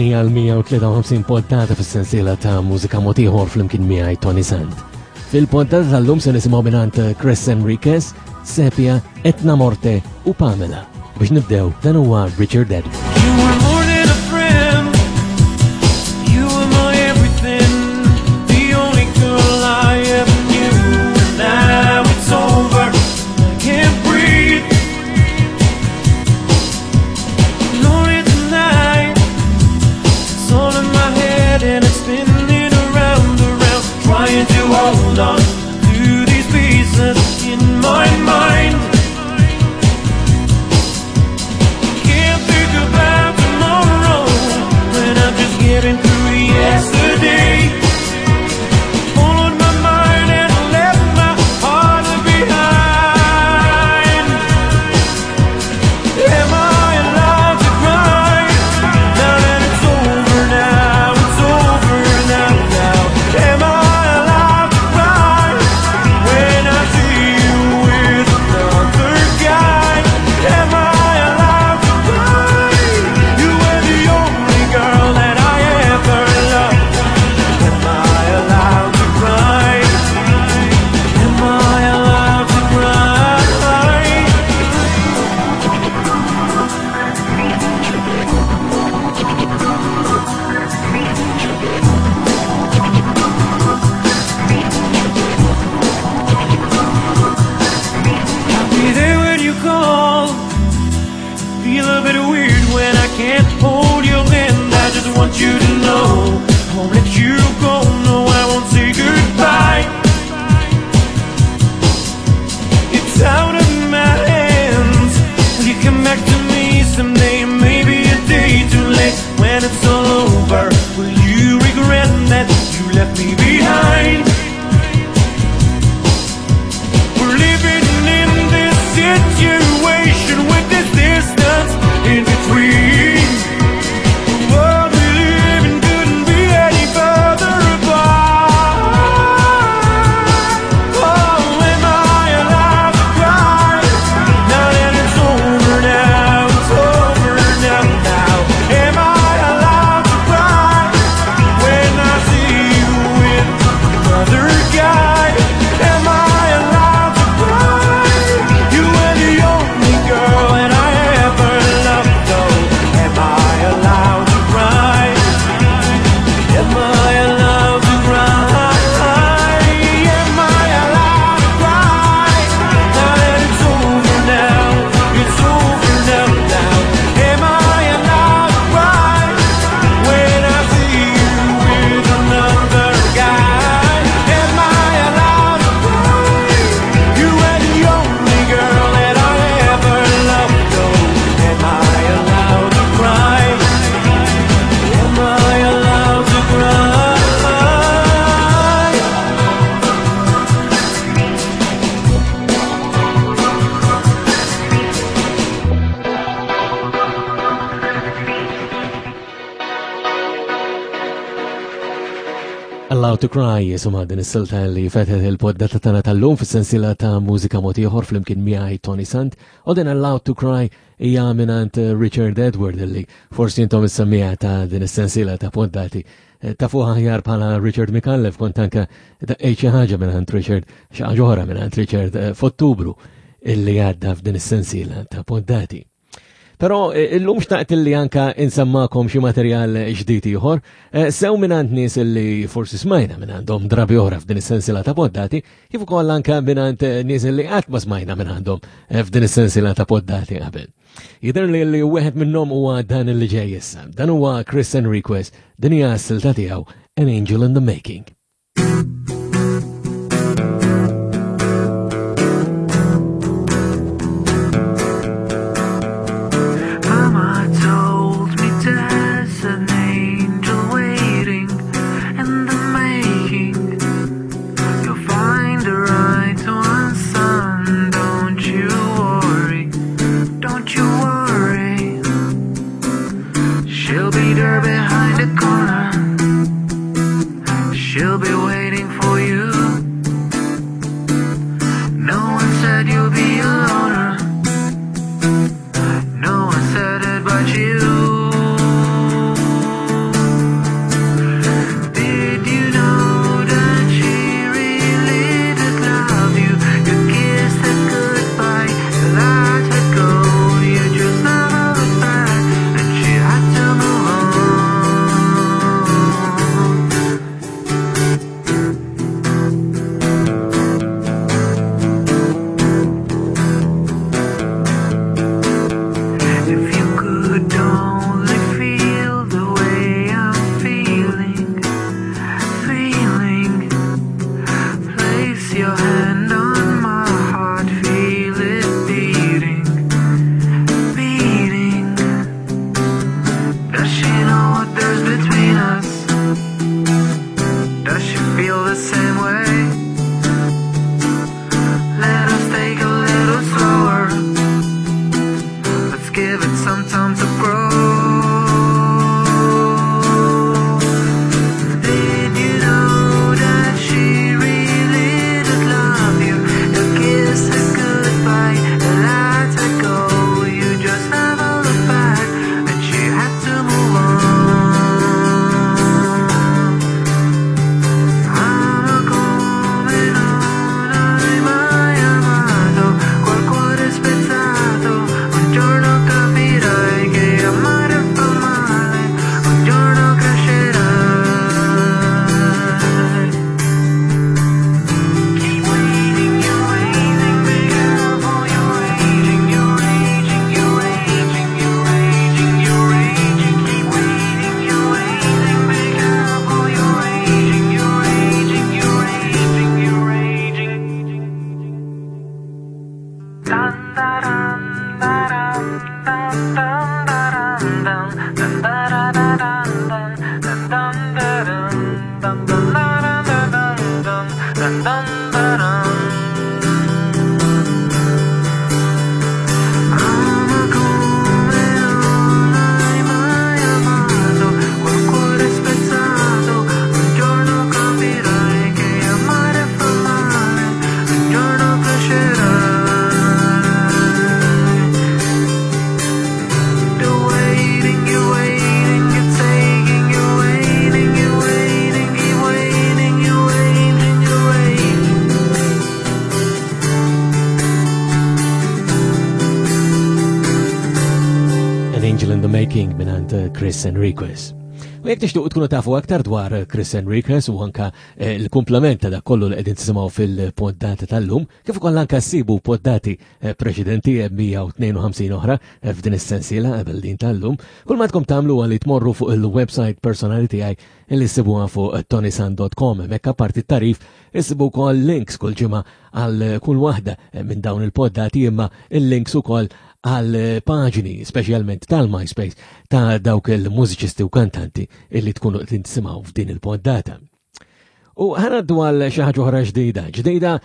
Din hija l-153 poddata fis-sensiela ta' mużika motiħor flimkien miegħi Tony Sand. Fil-poddata tal-lum se nisimgħu mingħand Chris Enriquez, Sepia, Etna Morte u Pamela. Biex nibdew dan huwa Richard Edwards. You were more than a friend. You were my everything. The only girl I ever knew. And now it's over. I can't breathe. Lonely tonight. It's all in my head and it's spinning around, around. Trying to hold on to these pieces in my mind. Can't think about tomorrow when I'm just getting through yesterday. Followed my mind and left my heart behind. Am I allowed to cry? Now that it's over now, it's over now, now. Am I allowed to cry when I see you with another guy? Am I allowed to cry? You were the only girl that I ever loved. Am I allowed to cry? Am I allowed to cry? I'll be there when you call. Feel a bit weird when I can't hold your hand. I just want you to know I won't let you go. No, I won't say goodbye. It's out of my hands. Will you come back to me someday? Maybe a day too late. When it's all over, will you regret that you left me behind? We're living in this situation with this distance in between. The world we live in couldn't be any further apart. Oh, am I allowed to cry? Now that it's over now, it's over now, now. Am I allowed to cry when I see you with another guy? Am I allowed to cry? You were the only girl that I ever loved. Oh, am I allowed to cry? Am I allowed to cry? Am I allowed to cry? Now that it's over now, it's over now, now. Am I allowed to cry when I see you with another guy? Am I allowed to cry? You were the only girl that I ever loved. Oh, am I allowed to cry? Am I allowed to cry? Allowed to Cry jisuma din is-silta li fetħet il-poddata tagħna tal-lum fis-sensiela ta' mużika mod ieħor flimkien miegħi Tony Sant u din Allowed to Cry hija mingħand Richard Edward li forsi intom is-semmija ta' din is-sensiela ta' poddati ta' fuq aħjar bħala Richard Micallef kont anke daqqejt xi ħaġa mingħand Richard xi ħaġa oħra mingħand Richard f'Ottubru illi għadda f'din is-sensiela ta' poddati. Però illum xtaqt illi anka insemmakom xi materjal ġdid ieħor, sew mingħand nies illi forsi smajna mingħandhom drabi oħra f'din is-sensiela ta' poddati, kif ukoll anka mingħand nies illi qatt ma smajna mingħandhom f'din is-sensiela ta' poddati qabel. Jidher li li wieħed minnhom huwa dan illi ġej issa. Dan huwa Chris Enriquez, din hija s-silta tiegħu An Angel in the Making. Mama told me there's an angel waiting in the making. You'll find the right one, son. Don't you worry, don't you worry. She'll be there behind the corner. She'll Ama come non hai mai amato, col cuore spezzato, un giorno capirai che amare fa male, un giorno crescerai. You're waiting, you're waiting, you're taking, you're waiting, you're waiting, you're waiting, you're waiting, you're waiting. An Angel in the Making minant Chris Enriquez. U jekk tixtuq tkunu tafu aktar dwar Chris Enriquez u anka l-kumplament ta' dak kollu li qegħdin tisimgħu fil-poddata tal-lum, kif ukoll anka ssibu poddati preċedenti 152 oħra f'din is-sensiela qabel din tal-lum, kull ma tkom tagħmlu huwa li tmorru fuq il-website personali tiegħi li ssibuha fuq tonisan.com. Hemmhekk apparti t-tarif issibu wkoll links kull ġimgħa għal kull waħda minn dawn il-poddati, imma il-links ukoll għal paġni speċjalment tal-MySpace ta' dawk il-mużiċisti u kantanti illi tkunu qed tisimgħu f'din il-poddata. U ħanaddu għal xi ħaġa oħra ġdida. Ġdida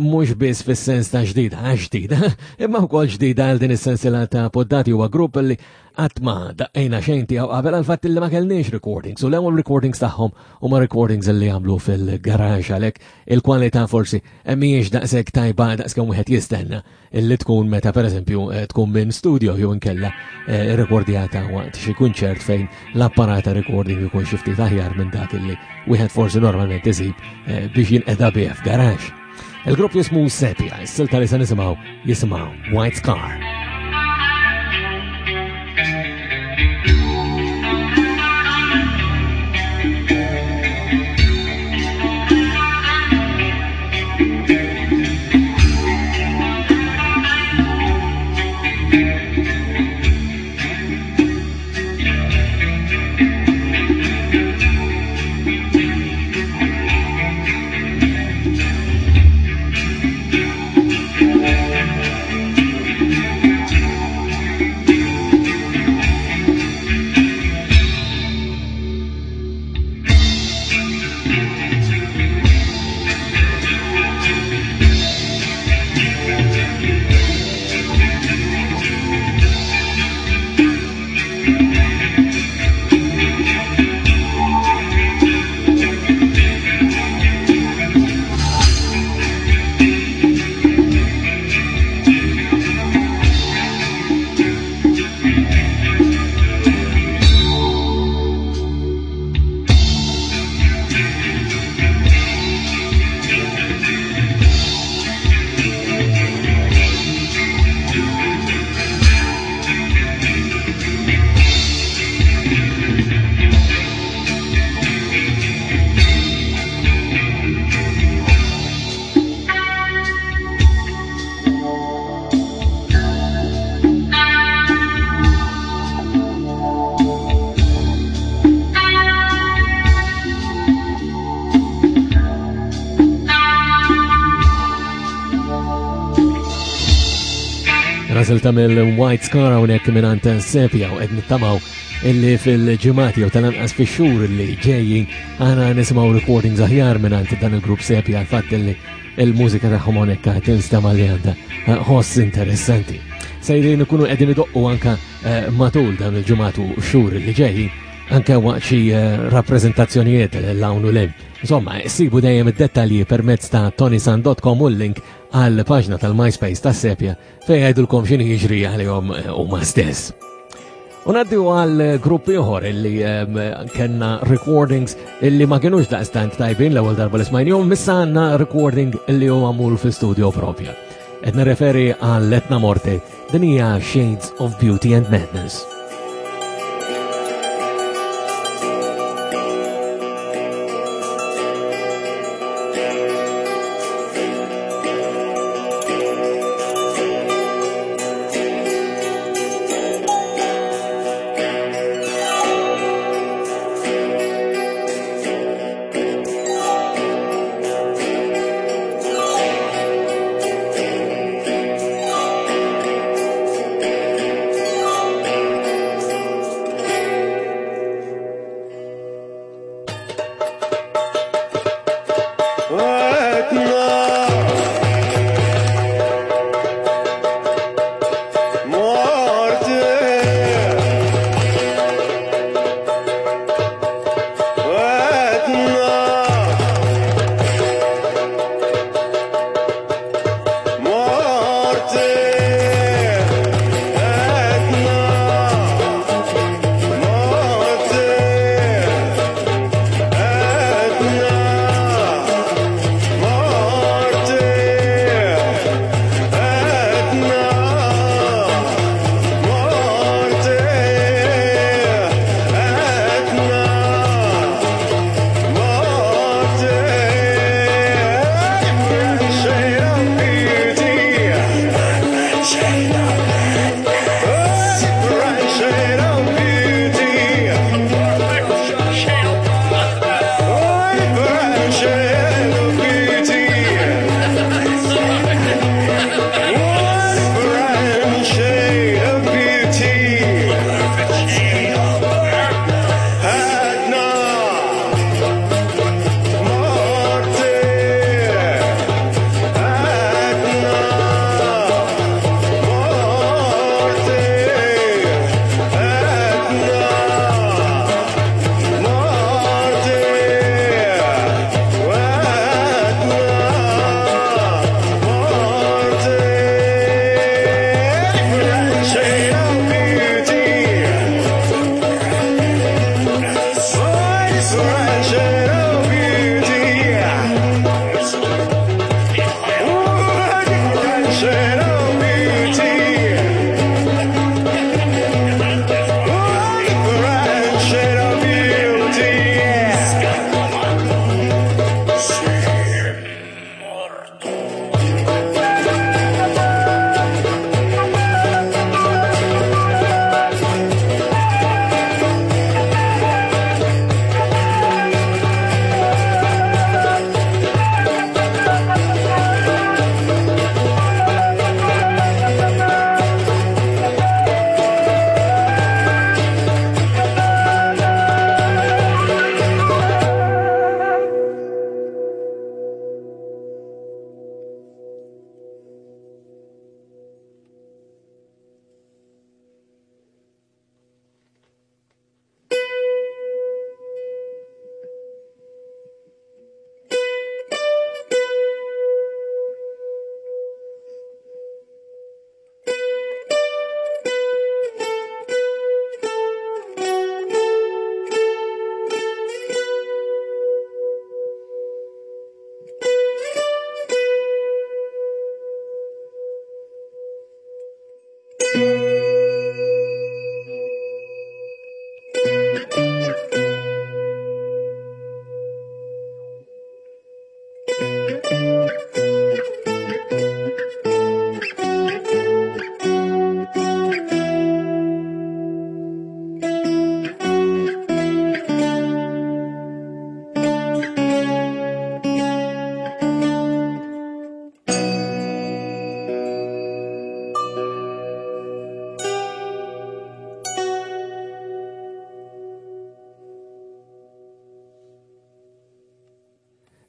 mhux biss fis-sens ta' ġdida, għax ġdida, imma wkoll ġdida għal din is-sensiela ta' poddati. Huwa grupp li qatt ma daqqejna xejn tiegħu qabel għal fatt li ma kellniex recordings, u l-ewwel recordings tagħhom huma recordings li għamlu fil-garax, għalhekk il-kwalità forsi mhijiex daqshekk tajba daqskemm wieħed jistenna illi tkun meta pereżempju tkun minn studio jew inkella rekordjata waqt xi kunċert fejn l-apparat ta' recording ikun xi ftit aħjar minn dak illi wieħed forsi normalment isib biex jinqeda bih f'garax. Il-grupp jismu Sepia, is-silta li se nisimgħu jisimgħu White Scar. Rażel tagħmel White Scar hawnhekk mingħand Sepia u qed nittamaw illi fil-ġimgħat jew tal-anqas fix-xhur li ġejjin aħna nisimgħu recordings aħjar mingħand dan il-grupp Sepia, għal fatt illi il-mużika tagħhom hawnhekk qed tinstema' li għandha ħoss interessanti. Sejrin ikunu qegħdin idoqqu anka matul dan il-ġimgħat u xhur li ġejjin anke waqt xi rappreżentazzjonijiet l-hawn u l-hemm. Insomma, sibu dejjem id-dettalji permezz ta' tonisan.com u l-link għal paġna tal-MySpace ta' Sepia fejn jgħidulkom x'inhi jiġri għalihom huma stess. U ngħaddu għal grupp ieħor illi kellna recordings illi ma kinux daqstant tajbin l-ewwel darba li smajnihom, issa għandna recording illi huwa magħmul fi studio propja. Qed nirreferi għal Etna Morte, din hija Shades of Beauty and Madness.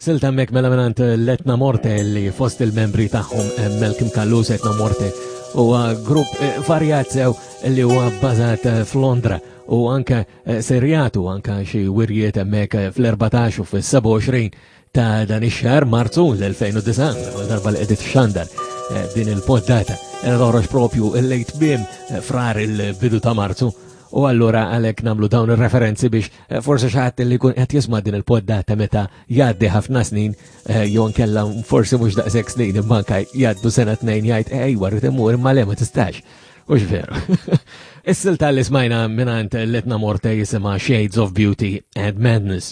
Silta hemmhekk mela mingħand Letna Morte li fost il-membri tagħhom eh, Malcolm Callus Etna Morte huwa grupp eh, varjat sew li huwa bbażat eh, f'Londra u anke serjatu anke xi wirjiet hemmhekk fl-14 u fis-27 ta' dan ix-xahar Marzu l-2009, l-ewwel darba li qed xandar din il-poddata qed toħroġ propju l-lejt bim frar il-bidu ta' Marzu u allura għalhekk nagħmlu dawn ir-referenzi biex eh, forsi xi ħadd li jkun qed jisma' din il-poddata meta jgħaddi ħafna snin eh, jew nkella forsi mhux daqshekk snin imma anke jgħaddu sena tnejn jgħid ejwa rrid immur imma le ma tistax. Ux veru. Is-silta li smajna minant Letna Morte jisima Shades of Beauty and Madness.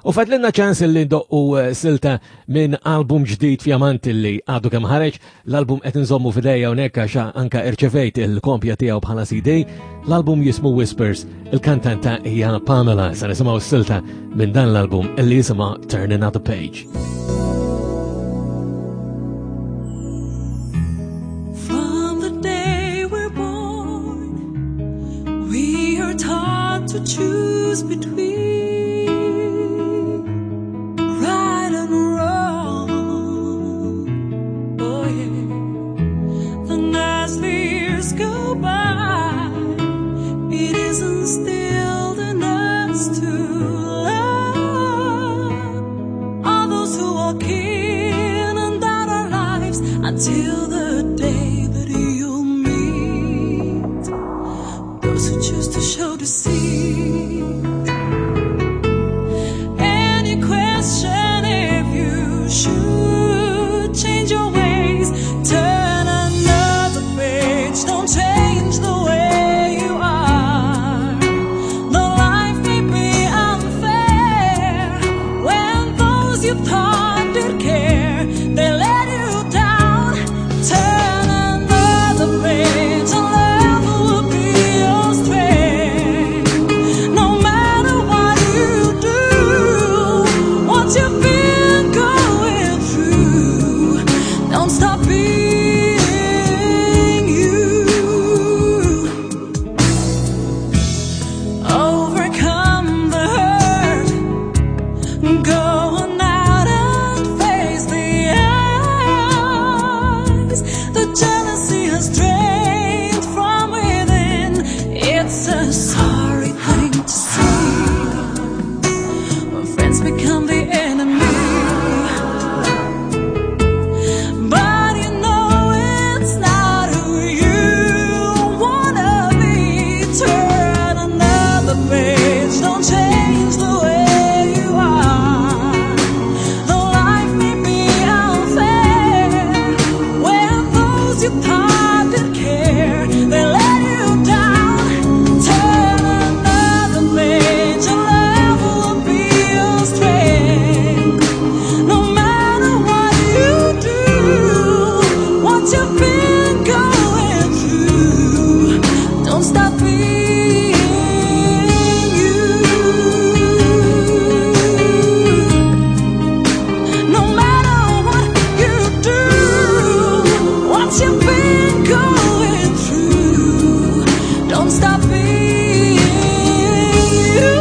U fadlinna ċans li ndoqqu eh, silta minn album ġdid fjamant li għadu kemm ħareġ, l-album qed nżommu fidejja hawnhekk għax anka irċevejt il-kompja tiegħu bħala CD, l-album jismu Whispers, il-kantanta hija Pamela, sa nisimgħu silta minn dan l-album li jisimha Turn Another Page. From the day we're born, we are taught to choose between right and wrong. Oh yeah. Then as the years go by, it is instilled in us to love all those who walk in and out our lives until the day that you'll meet those who choose to show deceit. And you question if you should change your ways, turn another page, don't change the way you are. Though life may be unfair, when those you thought did care, they let you down. Turn another page, and love will be your strength. No matter what you do, what you've been going through, don't stop being you. Overcome the hurt, go on out and face the eyes. The jealousy has drained from within. It's a sorry thing to see when friends become the enemy. But you know it's not who you wanna be. Turn another page, don't change the way you are. Though life may be unfair, when those you thought did care, they let you down. Turn another page, and love will be your strength. No matter what you do, what you've been going through, don't stop being you. No matter what you do, what you've been going through, don't stop being you.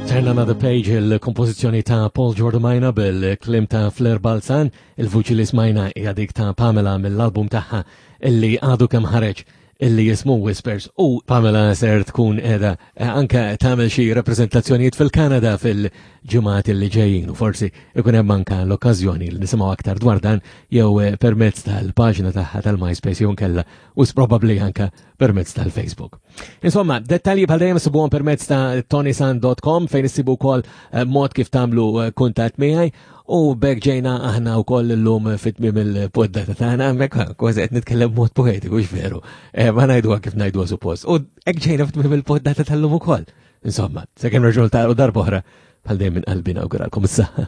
Turn Another Page, il-kompożizzjoni ta' Paul Giordamina bil-klim ta' Flair Balzan, il-vuċi li smajna hija dik ta' Pamela mill-album tagħha illi għadu kemm ħareġ illi jismu Whispers u Pamela ser tkun edha eh, anke tagħmel xi rappreżentazzjonijiet fil-Kanada fil-ġimgħat illi ġejjin u forsi ikun hemm anke l-okkażjoni li nisimgħu aktar dwar dan jew eh, permezz tal-paġna tagħha tal-MySpace jew nkella u probabbli anke permezz tal-Facebook. Insomma, dettalji bħal dejjem sibuhom permezz ta' tonisan.com fejn issibu wkoll eh, mod kif tagħmlu kuntatt miegħi u bekk ġejna aħna wkoll illum fit-tmiem il-poddata tagħna hemmhekk kważi qed nitkellem mod poetiku veru. Eh, ma ngħiduha kif ngħiduha suppost. U hekk ġejna fit-tmiem il-poddata tal-lum ukoll. Insomma, sakemm nerġgħu ta' darba oħra bħal dejjem minn qalbi nawguralkom is-saħħa.